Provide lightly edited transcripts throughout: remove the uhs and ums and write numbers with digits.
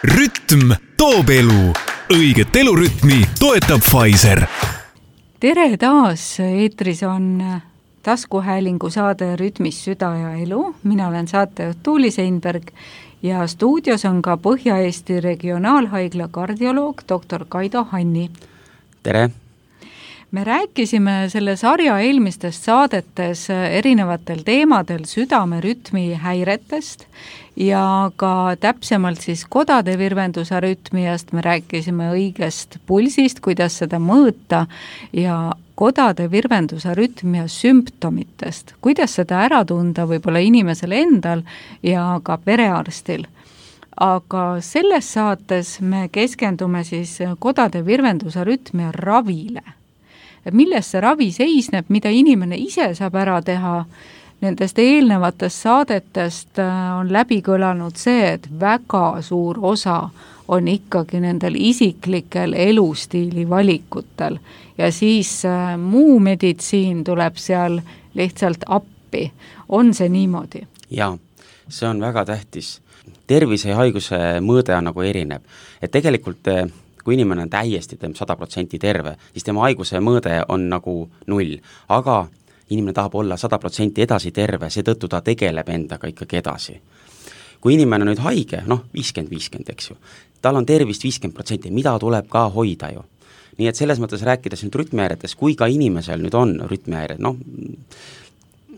Rütm toob elu. Õiget elurütmi toetab Pfizer. Tere taas, eetris on taskuhäälingu saade Rütmis süda ja elu. Mina olen saatejuht Tuuli Seinberg ja stuudios on ka Põhja-Eesti Regionaalhaigla kardioloog dr. Kaido Hanni. Tere! Me rääkisime selle sarja eelmistes saadetes erinevatel teemadel südamerütmi häiretest ja ka täpsemalt siis kodade virvendusarütmiast. Me rääkisime õigest pulsist, kuidas seda mõõta ja kodade virvendusarütmia sümptomitest, kuidas seda ära tunda võib-olla inimesel endal ja ka perearstil. Aga selles saates me keskendume siis kodade virvendusarütmia ravile. Milles see ravi seisneb, mida inimene ise saab ära teha. Nendest eelnevatest saadetest on läbi kõlanud see, et väga suur osa on ikkagi nendel isiklikel elustiili valikutel ja siis muu meditsiin tuleb seal lihtsalt appi. On see niimoodi? Jaa, see on väga tähtis. Tervise ja haiguse mõõde on nagu erinev. Et tegelikult kui inimene on täiesti 100% terve, siis tema haiguse mõõde on nagu 0, aga inimene tahab olla 100% edasi terve, seetõttu ta tegeleb endaga ikkagi edasi. Kui inimene on nüüd haige, 50-50, eks ju, tal on tervist 50%, mida tuleb ka hoida ju. Nii et selles mõttes rääkides nüüd rütmihäiretes, kui ka inimesel nüüd on rütmihäired,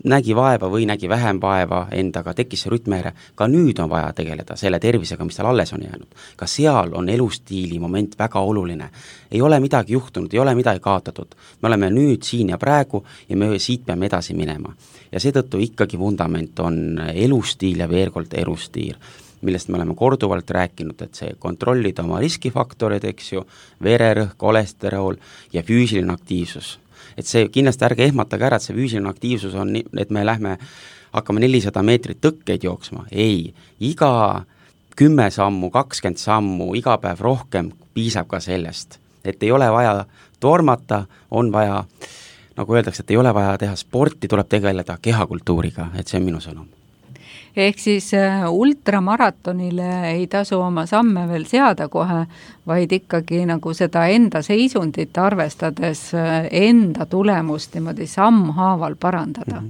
nägi vaeva või nägi vähem vaeva endaga, tekkis see rütmihäire, ka nüüd on vaja tegeleda selle tervisega, mis tal alles on jäänud. Ka seal on elustiili moment väga oluline. Ei ole midagi juhtunud, ei ole midagi kaotatud. Me oleme nüüd siin ja praegu ja me siit peame edasi minema. Ja seetõttu ikkagi vundament on elustiil ja veel kord elustiil, millest me oleme korduvalt rääkinud, et see kontrollida oma riskifaktorid, eks ju, vererõhk, kolesterol ja füüsiline aktiivsus. Et see kindlasti ärge ehmatage ära, et see füüsiline aktiivsus on, et me hakkame 400 meetrit tõkkeid jooksma. Ei, iga 10 sammu, 20 sammu, iga päev rohkem piisab ka sellest. Et ei ole vaja tormata, on vaja, nagu öeldakse, et ei ole vaja teha sporti, tuleb tegeleda kehakultuuriga, et see on minu sõnum. Ehk siis ultramaratonile ei tasu oma samme veel seada kohe, vaid ikkagi nagu seda enda seisundit arvestades enda tulemust niimoodi sammhaaval parandada.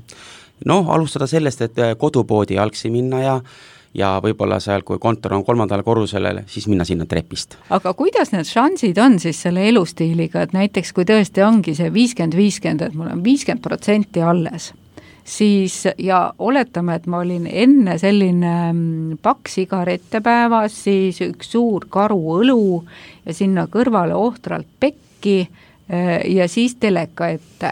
Alustada sellest, et kodupoodi jalgsi minna ja võib-olla seal, kui kontor on 3. korrusele, siis minna sinna trepist. Aga kuidas need šansid on siis selle elustiiliga, et näiteks kui tõesti ongi see 50-50, et mul on 50% alles, siis ja oletame, et ma olin enne selline paks sigarette päevas, siis üks suur karu õlu ja sinna kõrvale ohtralt pekki ja siis teleka ette.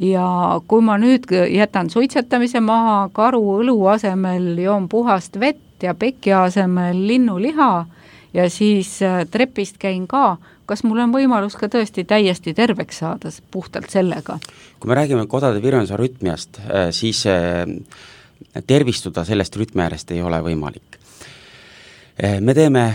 Ja kui ma nüüd jätan suitsetamise maha, karu õlu asemel joon puhast vett ja peki asemel linnuliha ja siis trepist käin ka, kas mul on võimalus ka tõesti täiesti terveks saada puhtalt sellega? Kui me räägime kodade virvendusarütmiast, siis tervistuda sellest rütmiäärest ei ole võimalik. Me teeme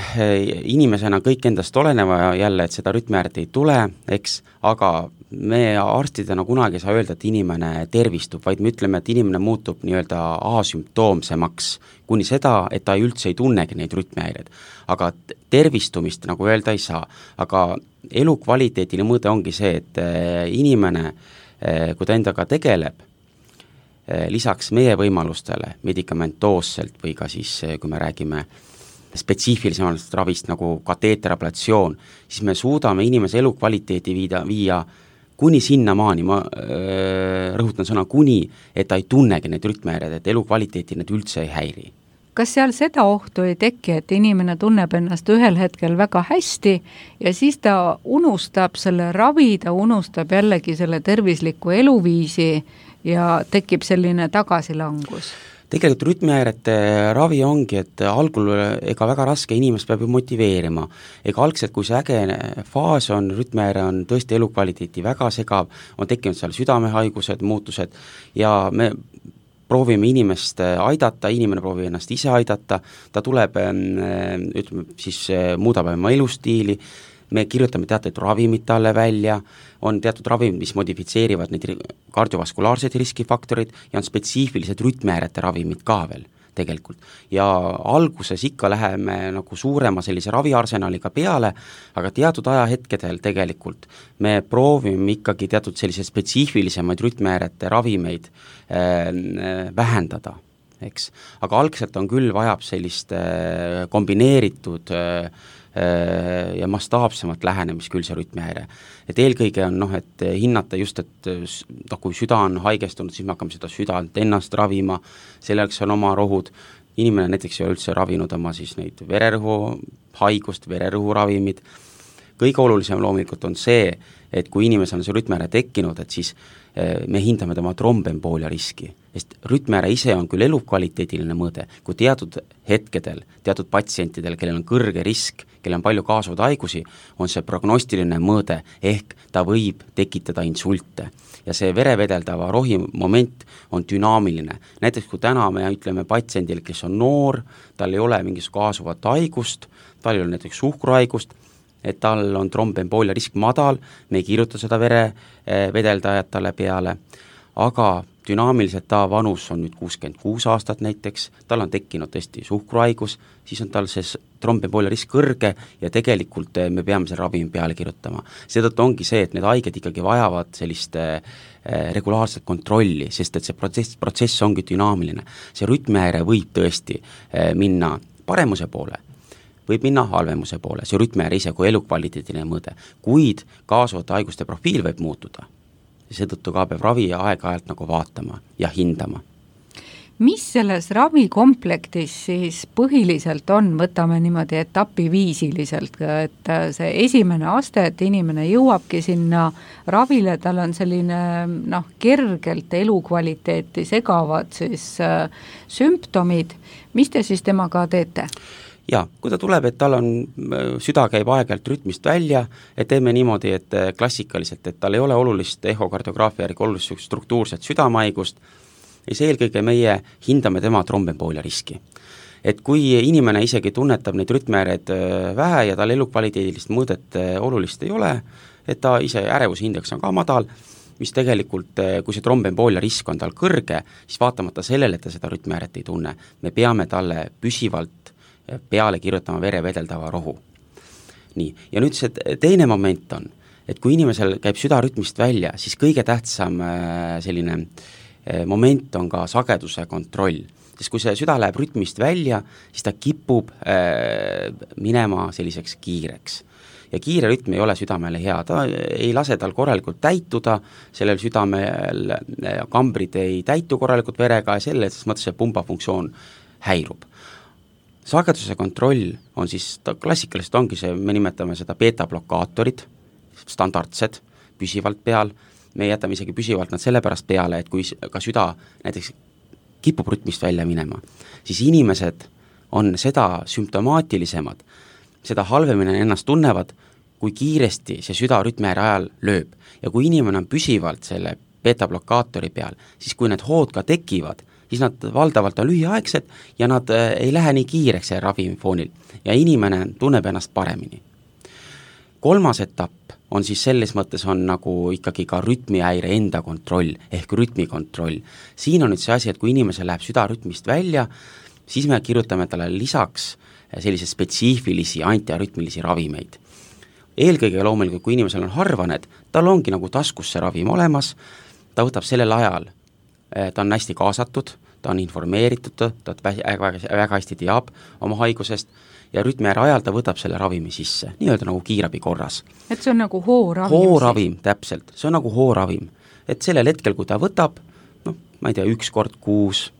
inimesena kõik endast oleneva jälle, et seda rütmiääret ei tule, eks, aga me arstidena kunagi ei saa öelda, et inimene tervistub, vaid me ütleme, et inimene muutub nii-öelda asümptoomsemaks kuni seda, et ta üldse ei tunnegi neid rütmihäireid. Aga tervistumist nagu öelda ei saa. Aga elukvaliteetile mõõde ongi see, et inimene, kui ta endaga tegeleb, lisaks meie võimalustele medikamentoosselt või ka siis, kui me räägime spetsiifilisemast ravist nagu kateeterablatsioon, siis me suudame inimese elukvaliteeti viia kuni sinnamaani, ma rõhutan sõna kuni, et ta ei tunnegi neid rütmihäireid, et elukvaliteeti need üldse ei häiri. Kas seal seda ohtu ei teki, et inimene tunneb ennast ühel hetkel väga hästi ja siis ta unustab selle ravi, ta unustab jällegi selle tervisliku eluviisi ja tekib selline tagasilangus? Tegelikult rütmihäirete ravi ongi, et algul ega väga raske inimest peab ju motiveerima. Ega algselt, kui see äge faas on, rütmihäire on tõesti elukvaliteeti väga segav, on tekkinud seal südamehaigused, muutused ja me proovime inimest aidata, inimene proovib ennast ise aidata, ta tuleb, ütleme, siis muudab oma elustiili, me kirjutame teatud ravimid talle välja, on teatud ravimid, mis modifitseerivad neid kardiovaskulaarseid riskifaktorid ja on spetsiifilised rütmihäirete ravimid ka veel. tegelikult. Ja alguses ikka läheme nagu suurema sellise raviarsenaliga peale, aga teatud ajahetkedel tegelikult me proovime ikkagi teatud selliseid spetsiifilisemaid rütmihäirete ravimeid vähendada, eks. Aga algselt on küll, vajab sellist kombineeritud ja mastaapsemat lähenemist küll see rütmihäire. Et eelkõige on et hinnata just, et kui süda on haigestunud, siis me hakkame seda südant ennast ravima, selleks on oma rohud, inimene näiteks ei ole üldse ravinud oma siis neid vererõhu haigust, vererõhuravimid. Kõige olulisem loomulikult on see, et kui inimesel on see rütmihäire tekkinud, et siis me hindame tema trombemboolia riski, sest rütmihäire ise on küll elukvaliteediline mõõde, kui teatud hetkedel, teatud patsientidel, kellel on kõrge risk, kellel on palju kaasuvaid haigusi, on see prognostiline mõõde, ehk ta võib tekitada insulte. Ja see verevedeldava rohi moment on dünaamiline. Näiteks kui täna me ütleme patsiendile, kes on noor, tal ei ole mingis kaasuvat haigust, tal ei ole näiteks suhkruhaigust, et tal on trombemboolia risk madal, me ei kirjuta seda verevedeldajat talle peale, aga dünaamiliselt ta vanus on nüüd 66 aastat näiteks, tal on tekkinud tõesti suhkruhaigus, siis on tal see trombemboolia risk kõrge ja tegelikult me peame selle ravimi peale kirjutama. Seetõttu ongi see, et need haiged ikkagi vajavad sellist regulaarset kontrolli, sest et see protsess ongi dünaamiline. See rütmihäire võib tõesti minna paremuse poole, võib minna halvemuse poole, see rütmihäire ise kui elukvaliteediline mõõde, kuid kaasuvate haiguste profiil võib muutuda. Seetõttu ka peab ravi aeg-ajalt nagu vaatama ja hindama. Mis selles ravikomplektis siis põhiliselt on, võtame niimoodi etapiviisiliselt, et see esimene aste, et inimene jõuabki sinna ravile, tal on selline kergelt elukvaliteeti segavad siis sümptomid, mis te siis temaga teete? Ja, kui ta tuleb, et tal on, süda käib aeg-ajalt rütmist välja, et teeme niimoodi, et klassikaliselt, et tal ei ole olulist ehokardiograafia järgi olulist struktuurset südamehaigust, siis eelkõige meie hindame tema trombemboolia riski. Et kui inimene isegi tunnetab neid rütmihäireid vähe ja tal elukvaliteedilist mõõdet olulist ei ole, et ta ise ärevusindeks on ka madal, mis tegelikult, kui see trombemboolia risk on tal kõrge, siis vaatamata sellele, et ta seda rütmihäiret ei tunne, me peame talle püsivalt peale kirjutama verevedeldava rohu. Nii, ja nüüd see teine moment on, et kui inimesel käib süda rütmist välja, siis kõige tähtsam selline moment on ka sageduse kontroll, sest kui see süda läheb rütmist välja, siis ta kipub minema selliseks kiireks. Ja kiire rütm ei ole südamele hea, ta ei lase tal korralikult täituda, sellel südamel kambrid ei täitu korralikult verega ja selles mõttes see pumbafunktsioon häirub. Sageduse kontroll on siis, klassikaliselt ongi see, me nimetame seda beta-blokaatorid, standardsed, püsivalt peal, me jätame isegi püsivalt nad sellepärast peale, et kui ka süda näiteks kipub rütmist välja minema, siis inimesed on seda sümptomaatilisemad, seda halvemini ennast tunnevad, kui kiiresti see süda rütmihäire ajal lööb. Ja kui inimene on püsivalt selle beta-blokaatori peal, siis kui need hood ka tekivad, siis nad valdavalt on lühiaegsed ja nad ei lähe nii kiireks see ravimifoonil ja inimene tunneb ennast paremini. Kolmas etapp on siis selles mõttes on nagu ikkagi ka rütmihäire enda kontroll ehk rütmikontroll. Siin on nüüd see asi, et kui inimesel läheb süda rütmist välja, siis me kirjutame talle lisaks sellise spetsiifilisi antiarütmilisi ravimeid. Eelkõige loomulikult, kui inimesel on harvaned, tal ongi nagu taskus see ravim olemas, ta võtab sellel ajal, ta on hästi kaasatud, ta on informeeritud, ta väga hästi teab oma haigusest ja rütmihäire ajal ta võtab selle ravimi sisse, nii-öelda nagu kiirabi korras. Et see on nagu hooravim? Hooravim, täpselt, see on nagu hooravim. Et sellel hetkel, kui ta võtab, ma ei tea, 1 kord kuus,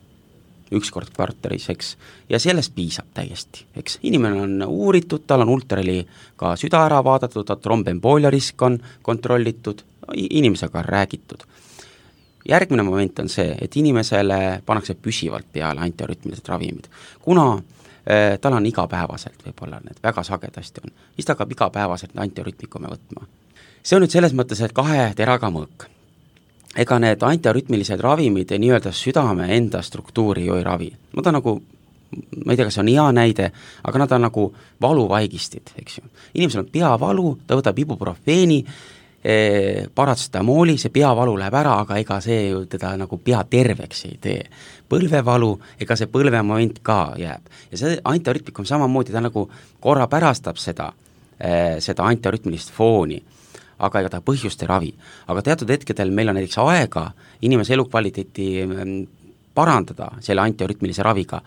1 kord kvartalis, eks, ja sellest piisab täiesti, eks. Inimene on uuritud, tal on ultraheli ka süda ära vaadatud, trombemboolia risk on kontrollitud, inimesega on räägitud. Järgmine moment on see, et inimesele pannakse püsivalt peale antiarütmilised ravimid. Kuna tal on igapäevaselt, võib-olla need väga sagedasti on, siis ta hakkab igapäevaselt antiarütmikume võtma. See on nüüd selles mõttes, et 2 teraga mõõk. Ega need antiarütmilised ravimid nii-öelda südame enda struktuuri ju ei ravi. Nad on nagu, ma ei tea, kas on hea näide, aga nad on nagu valuvaigistid, eks ju. Inimesel on peavalu, ta võtab ibuprofeeni, paratsetamooli, see peavalu läheb ära, aga ega see ju teda nagu pea terveks ei tee. Põlvevalu, ega see põlvemoment ka jääb. Ja see antiarütmikum samamoodi, ta nagu korra pärastab seda antiarütmilist fooni, aga ega ta põhjust ei ravi. Aga teatud hetkedel meil on näiteks aega inimese elukvaliteeti parandada selle antiarütmilise raviga.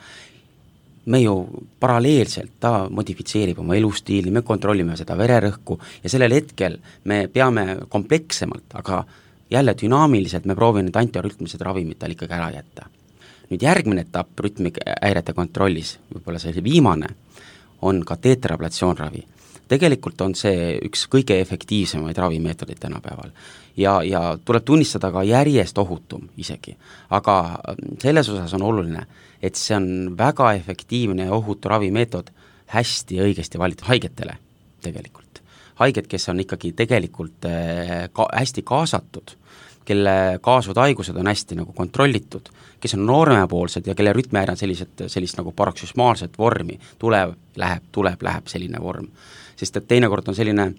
Me ju paralleelselt, ta modifitseerib oma elustiili, me kontrollime seda vererõhku ja sellel hetkel me peame komplekssemalt, aga jälle dünaamiliselt me proovime need antiarütmilised ravimid tal ikkagi ära jätta. Nüüd järgmine etapp rütmihäirete kontrollis, võib-olla see viimane, on kateeterablatsioonravi. Tegelikult on see üks kõige efektiivsemaid ravimeetodeid tänapäeval ja tuleb tunnistada ka järjest ohutum isegi, aga selles osas on oluline, et see on väga efektiivne ja ohutu ravimeetod hästi õigesti valitud haigetele tegelikult. Haiged, kes on ikkagi tegelikult hästi kaasatud, kelle kaasuvad haigused on hästi nagu kontrollitud, kes on noormepoolsed ja kelle rütmihäire on sellist nagu paroksüsmaalset vormi, tuleb, läheb selline vorm. Sest et teinekord on selline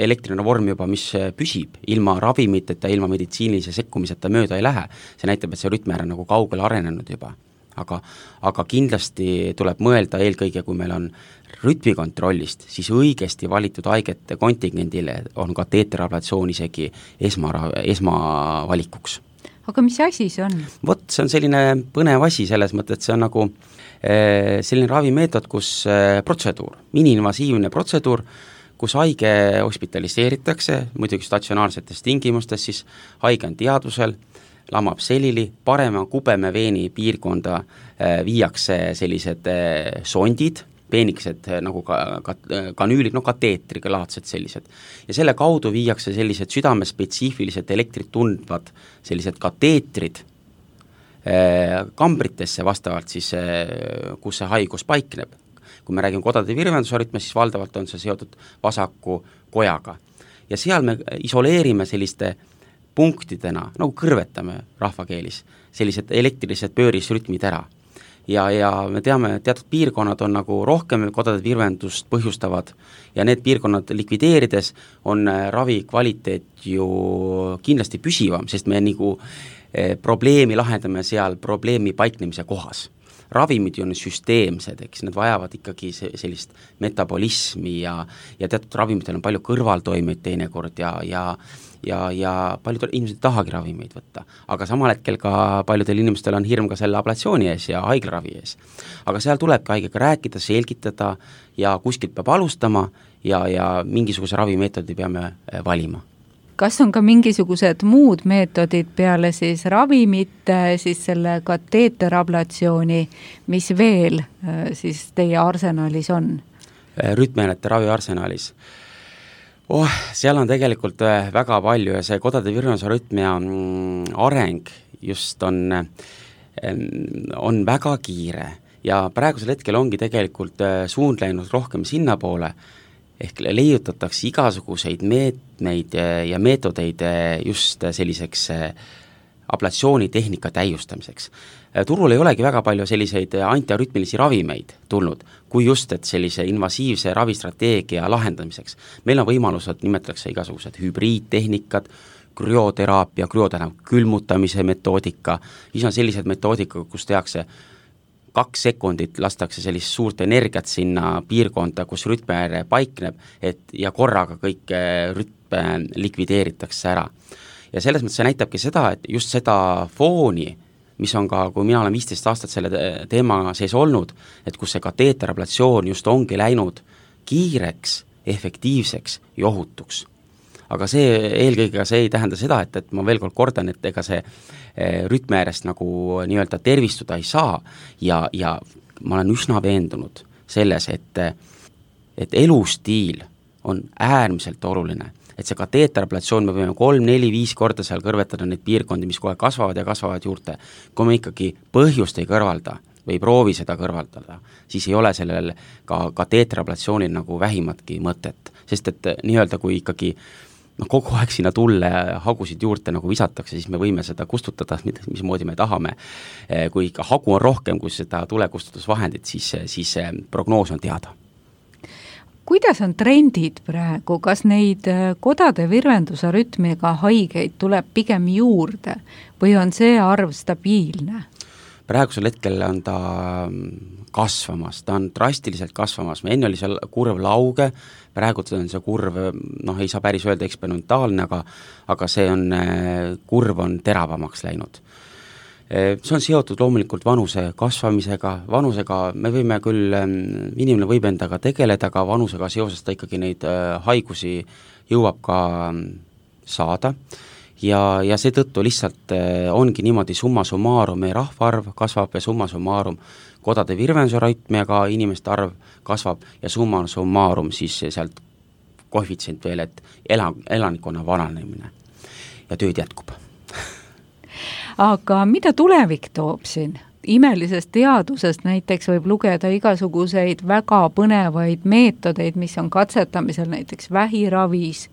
elektriline vorm juba, mis püsib ilma ravimiteta, ilma meditsiinilise sekkumiseta mööda ei lähe. See näitab, et see rütmihäire on nagu kaugele arenenud juba. Aga kindlasti tuleb mõelda eelkõige, kui meil on rütmikontrollist, siis õigesti valitud haigete kontingendile on kateeterablatsioon isegi esmavalikuks. Aga mis asi see on? Vot, see on selline põnev asi selles mõttes, et see on nagu selline ravimeetod, kus protseduur, miniinvasiivne protseduur, kus haige hospitaliseeritakse, muidugi statsionaarsetes tingimustes, siis haige on teadvusel, lamab selili, parema kubemeveeni piirkonda viiakse sellised sondid, peenikesed nagu kanüülid, kateetriga laadsed sellised. Ja selle kaudu viiakse sellised südamespetsiifilised elektrit tundvad sellised kateetrid kambritesse vastavalt siis, kus see haigus paikneb. Kui me räägime kodade virvendusarütmist, siis valdavalt on see seotud vasaku kojaga. Ja seal me isoleerime selliste punktidena, nagu kõrvetame rahvakeelis, sellised elektrilised pöörisrütmid ära. Ja me teame, et teatud piirkonnad on nagu rohkem kodade virvendust põhjustavad ja need piirkonnad likvideerides on ravi kvaliteet ju kindlasti püsivam, sest me nagu probleemi lahendame seal probleemi paiknemise kohas. Ravimid ju on süsteemsed, eks, need vajavad ikkagi sellist metabolismi ja teatud ravimitel on palju kõrvaltoimeid teinekord ja paljud inimesed ei tahagi ravimeid võtta, aga samal hetkel ka paljudel inimestel on hirm ka selle ablatsiooni ees ja haiglaravi ees. Aga seal tulebki haigega rääkida, selgitada ja kuskilt peab alustama ja mingisuguse ravimeetodi peame valima. Kas on ka mingisugused muud meetodid peale siis ravimite, siis selle kateeterablatsiooni, mis veel siis teie arsenalis on? Rütmihäirete ravi arsenalis. Seal on tegelikult väga palju ja see kodade virvendusarütmia areng just on väga kiire ja praegusel hetkel ongi tegelikult suund läinud rohkem sinna poole, ehk leiutatakse igasuguseid meetmeid ja meetodeid just selliseks ablatsioonitehnika täiustamiseks. Turul ei olegi väga palju selliseid antiarütmilisi ravimeid tulnud, kui just, et sellise invasiivse ravistrateegia lahendamiseks. Meil on võimalused, nimetatakse igasugused hübriidtehnikad, krüoteraapia, külmutamise metoodika, siis on sellised metoodika, kus tehakse 2 sekundit lastakse sellist suurt energiat sinna piirkonda, kus rütmihäire paikneb, ja korraga kõik rütme likvideeritakse ära. Ja selles mõttes see näitabki seda, et just seda fooni, mis on ka, kui mina olen 15 aastat selle teema sees olnud, et kus see kateeterablatsioon just ongi läinud kiireks, efektiivseks ja ohutuks. Aga see eelkõige see ei tähenda seda, et ma veel kord kordan, et ega see rütmihäirest nagu nii-öelda tervistuda ei saa ja ma olen üsna veendunud selles, et elustiil on äärmiselt oluline, et see kateeterablatsioon, me võime 3, 4, 5 korda seal kõrvetada neid piirkondi, mis kohe kasvavad ja kasvavad juurde. Kui me ikkagi põhjust ei kõrvalda või ei proovi seda kõrvaldada, siis ei ole sellel ka kateeterablatsioonil nagu vähimatki mõtet, sest et nii-öelda kui ikkagi kogu aeg sinna tulle hagusid juurde nagu visatakse, siis me võime seda kustutada, mismoodi me tahame. Kui ikka hagu on rohkem kui seda tulekustutusvahendit, siis prognoos on teada. kuidas on trendid praegu, kas neid kodade virvendusarütmiga haigeid tuleb pigem juurde või on see arv stabiilne? Praegusel hetkel on ta kasvamas, ta on drastiliselt kasvamas, enne oli seal kurv lauge, praegu on see kurv, ei saa päris öelda eksponentaalne, aga see on, kurv on teravamaks läinud. See on seotud loomulikult vanuse kasvamisega, vanusega me võime küll, inimene võib endaga tegeleda, aga vanusega seoses ta ikkagi neid haigusi jõuab ka saada ja seetõttu lihtsalt ongi niimoodi summa summarum, meie rahvaarv kasvab ja summa summarum kodade virvendusarütmiaga inimeste arv kasvab ja summa summarum siis sealt koefitsient veel, et elanikkonna vananemine ja tööd jätkub. Aga mida tulevik toob siin? Imelisest teadusest näiteks võib lugeda igasuguseid väga põnevaid meetodeid, mis on katsetamisel näiteks vähiravis,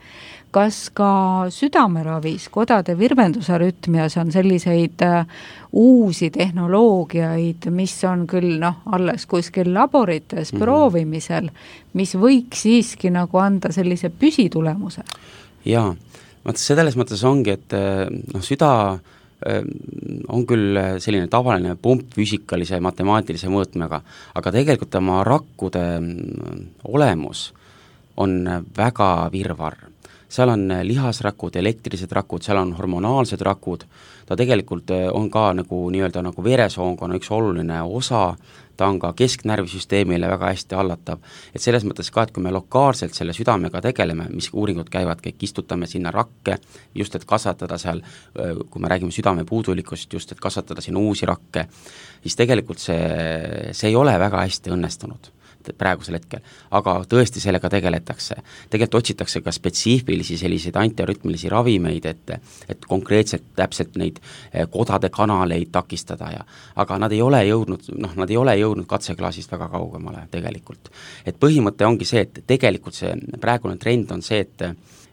kas ka südameravis, kodade virvendusarütmias on selliseid uusi tehnoloogiaid, mis on küll alles kuskil laborites proovimisel, mis võiks siiski nagu anda sellise püsitulemuse? Jaa, selles mõttes ongi, et süda on küll selline tavaline pump füüsikalise matemaatilise mõõtmega, aga tegelikult tema rakkude olemus on väga virvarr. Seal on lihasrakud, elektrilised rakud, seal on hormonaalsed rakud, ta tegelikult on ka nagu veresoonkonna üks oluline osa, ta on ka kesknärvisüsteemile väga hästi hallatav, et selles mõttes ka, et kui me lokaalselt selle südamega tegeleme, mis uuringud käivad, kõik istutame sinna rakke, just et kasvatada seal, kui me räägime südame puudulikust, just et kasvatada sinna uusi rakke, siis tegelikult see ei ole väga hästi õnnestunud praegusel hetkel, aga tõesti sellega tegeletakse. Tegelikult otsitakse ka spetsiifilisi selliseid antiarütmilisi ravimeid, et konkreetselt täpselt neid kodade kanaleid takistada aga nad ei ole jõudnud katseklaasist väga kaugemale tegelikult. Et põhimõte ongi see, et tegelikult see praegune trend on see,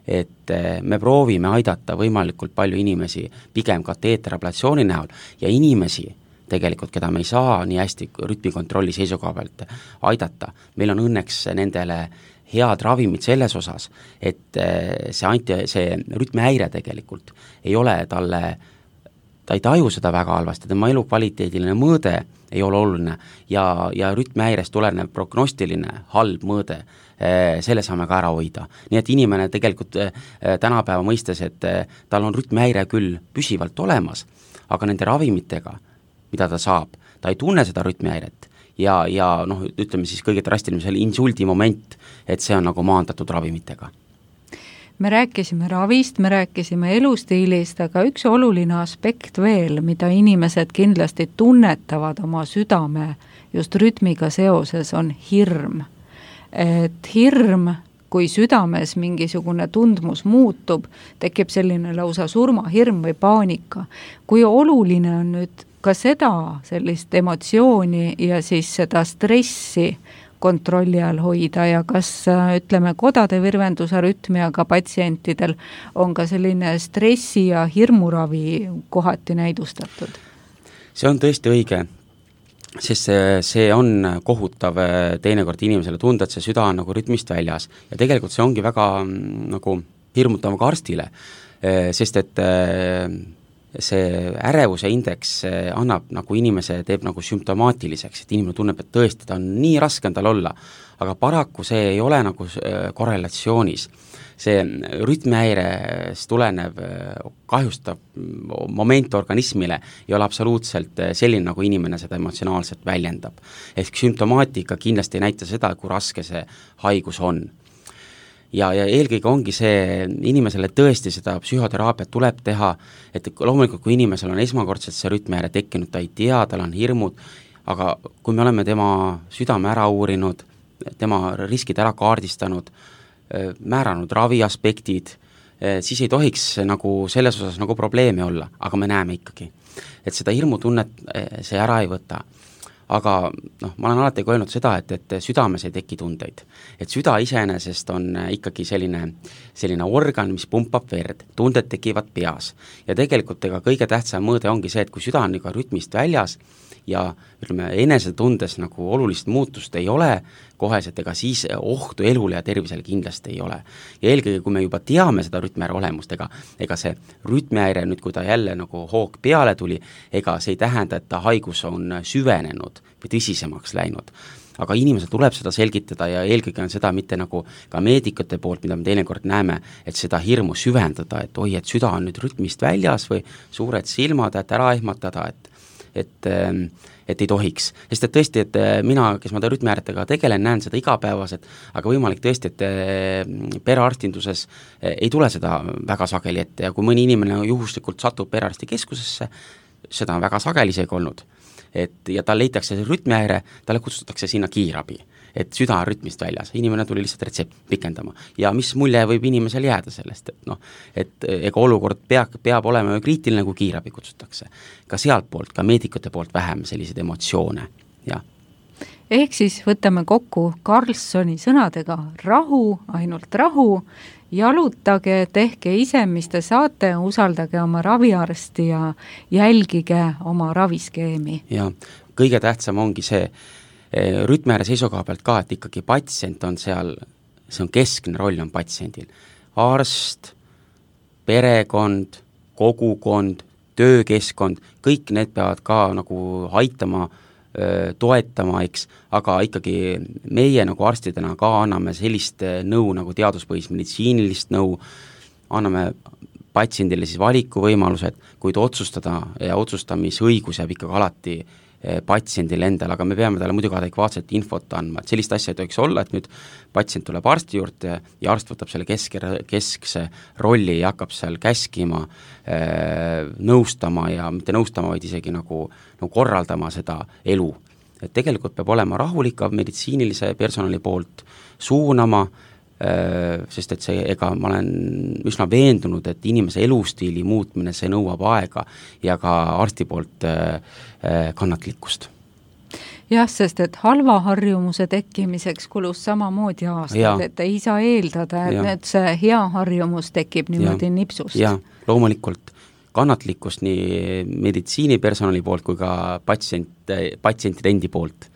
et me proovime aidata võimalikult palju inimesi pigem kateeterablatsiooni näol ja inimesi tegelikult, keda me ei saa nii hästi rütmikontrolli seisukoha pealt aidata. Meil on õnneks nendele head ravimid selles osas, et see rütmihäire tegelikult ei ole talle, ta ei taju seda väga halvasti, tema elukvaliteediline mõõde ei ole oluline ja rütmihäirest tulenev prognostiline halb mõõde, selle saame ka ära hoida. Nii et inimene tegelikult tänapäeva mõistes, et tal on rütmihäire küll püsivalt olemas, aga nende ravimitega mida ta saab, ta ei tunne seda rütmihäiret ja ütleme siis kõige drastilisem insuldi moment, et see on nagu maandatud ravimitega. Me rääkisime ravist, me rääkisime elustiilist, aga üks oluline aspekt veel, mida inimesed kindlasti tunnetavad oma südame just rütmiga seoses, on hirm. Et hirm, kui südames mingisugune tundmus muutub, tekib selline lausa surmahirm või paanika. Kui oluline on nüüd ka seda sellist emotsiooni ja siis seda stressi kontrolli all hoida ja kas ütleme kodade virvendusarütmiaga patsientidel on ka selline stressi ja hirmuravi kohati näidustatud? See on tõesti õige, sest see on kohutav teinekord inimesele tunda, et see süda on nagu rütmist väljas ja tegelikult see ongi väga nagu hirmutav ka arstile, sest et see ärevuse indeks annab nagu teeb nagu sümptomaatiliseks, et inimene tunneb, et tõesti ta on nii raske on tal olla, aga paraku see ei ole nagu korrelatsioonis. See rütmihäirest tulenev kahjustav moment organismile ei ole absoluutselt selline, nagu inimene seda emotsionaalselt väljendab. Ehk sümptomaatika kindlasti ei näita seda, kui raske see haigus on. Ja eelkõige ongi see, inimesele tõesti seda psühhoteraapiat tuleb teha, et loomulikult kui inimesel on esmakordselt see rütmihäire tekkinud, ta ei tea, tal on hirmud, aga kui me oleme tema südame ära uurinud, tema riskid ära kaardistanud, määranud ravi aspektid, siis ei tohiks nagu selles osas nagu probleemi olla, aga me näeme ikkagi, et seda hirmutunnet see ära ei võta. Aga ma olen alati öelnud seda, et südames ei teki tundeid. Et süda iseenesest on ikkagi selline organ, mis pumpab verd, tunded tekivad peas. Ja tegelikult kõige tähtsam mõõde ongi see, et kui süda on rütmist väljas ja ütleme, enesetundes nagu olulist muutust ei ole koheselt, ega siis ohtu elule ja tervisele kindlasti ei ole. Ja eelkõige, kui me juba teame seda rütmihäire olemust, ega see rütmihäire nüüd, kui ta jälle nagu hoog peale tuli, ega see ei tähenda, et ta haigus on süvenenud või tõsisemaks läinud. Aga inimesel tuleb seda selgitada ja eelkõige on seda mitte nagu ka meedikute poolt, mida me teinekord näeme, et seda hirmu süvendada, et oi, et süda on nüüd rütmist väljas või suured silmad, et ära ehmatada, et ei tohiks. Sest et tõesti, et mina, kes ma rütmihäiretega tegelen, näen seda igapäevaselt, aga võimalik tõesti, et perearstinduses ei tule seda väga sageli ette ja kui mõni inimene juhuslikult satub perearsti keskusesse, seda on väga sageli isegi olnud, ja tal leitakse see rütmihäire, talle kutsutakse sinna kiirabi, et süda on rütmist väljas, inimene tuli lihtsalt retsept pikendama ja mis mulje võib inimesel jääda sellest, et ega olukord peab olema kriitiline, kui kiirabi kutsutakse. Ka sealt poolt, ka meedikute poolt vähem selliseid emotsioone, jah. Ehk siis võtame kokku Karlssoni sõnadega rahu, ainult rahu, jalutage, tehke ise, mis te saate, usaldage oma raviarsti ja jälgige oma raviskeemi. Ja kõige tähtsam ongi see rütmihäire seisukoha pealt ka, et ikkagi patsient on seal, see on keskne roll on patsiendil. Arst, perekond, kogukond, töökeskkond, kõik need peavad ka nagu aitama, toetama, eks, aga ikkagi meie nagu arstidena ka anname sellist nõu nagu teaduspõhist meditsiinilist nõu, anname patsiendile siis valikuvõimalused, kuid otsustada ja otsustamisõigus jääb ikkagi alati patsiendile endale, aga me peame talle muidugi adekvaatset infot andma, et sellist asja ei tohiks olla, et nüüd patsient tuleb arsti juurde ja arst võtab selle keskse rolli ja hakkab seal käskima, nõustama ja mitte nõustama, vaid isegi nagu korraldama seda elu. Et tegelikult peab olema rahulik meditsiinilise personali poolt suunama, sest et see, ega ma olen üsna veendunud, et inimese elustiili muutmine, see nõuab aega ja ka arsti poolt kannatlikkust. Jah, sest et halva harjumuse tekkimiseks kulus samamoodi aastad, et ei saa eeldada, et see hea harjumus tekib niimoodi nipsust. Ja, loomulikult kannatlikkust nii meditsiinipersonali poolt kui ka patsientide endi poolt.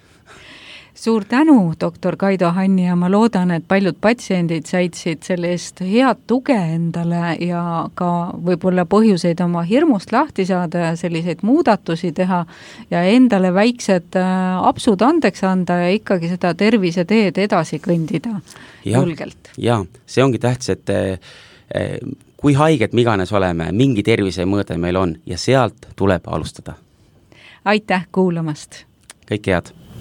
Suur tänu, doktor Kaido Hanni, ja ma loodan, et paljud patsiendid said sellest head tuge endale ja ka võib-olla põhjuseid oma hirmust lahti saada ja selliseid muudatusi teha ja endale väiksed apsud andeks anda ja ikkagi seda terviseteed edasi kõndida julgelt. Ja, see ongi tähtis, et kui haiged me iganes oleme, mingi tervisemõõde meil on ja sealt tuleb alustada. Aitäh kuulamast! Kõike head!